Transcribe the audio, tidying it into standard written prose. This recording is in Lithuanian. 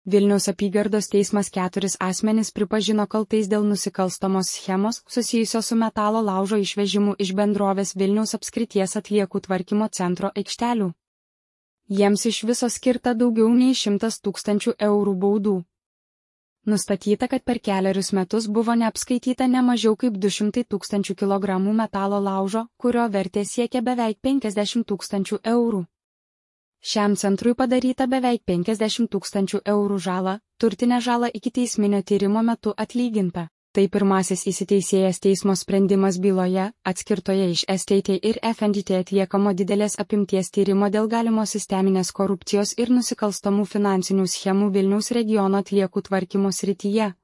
Vilniaus apygardos teismas 4 asmenis pripažino kaltais dėl nusikalstamos schemos susijusios su metalo laužo išvežimu iš bendrovės Vilniaus apskrities atliekų tvarkymo centro aikštelių. Jiems iš viso skirta daugiau nei 100 000 eurų baudų. Nustatyta, kad per 4 metus buvo neapskaityta ne mažiau kaip 200 000 kg metalo laužo, kurio vertė siekia beveik 50 000 eurų. Šiam centrui padaryta beveik 50 000 eurų žala, turtinė žala ikiteisminio tyrimo metu atlyginta. Tai pirmasis įsiteisėjęs teismo sprendimas byloje, atskirtoje iš STT ir FNDT atliekamo didelės apimties tyrimo dėl galimos sisteminės korupcijos ir nusikalstamų finansinių schemų Vilniaus regiono atliekų tvarkymo srityje.